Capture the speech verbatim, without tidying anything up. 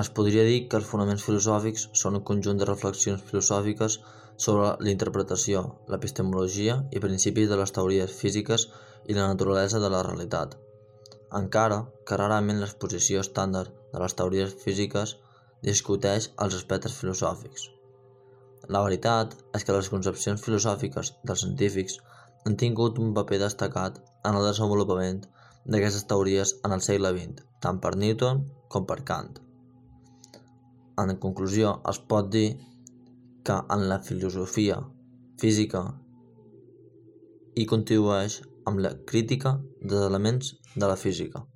Es podria dir que els fonaments filosòfics són un conjunt de reflexions filosòfiques sobre la interpretació, l'epistemologia i principis de les teories físiques i la naturalesa de la realitat, encara que rarament l'exposició estàndard de les teories físiques discuteix els aspectes filosòfics. La veritat és que les concepcions filosòfiques dels científics han tingut un paper destacat en el desenvolupament d'aquestes teories en el segle vint, tant per Newton com per Kant. En conclusió, es pot dir que en la filosofia física hi contribueix amb la crítica dels elements de la física.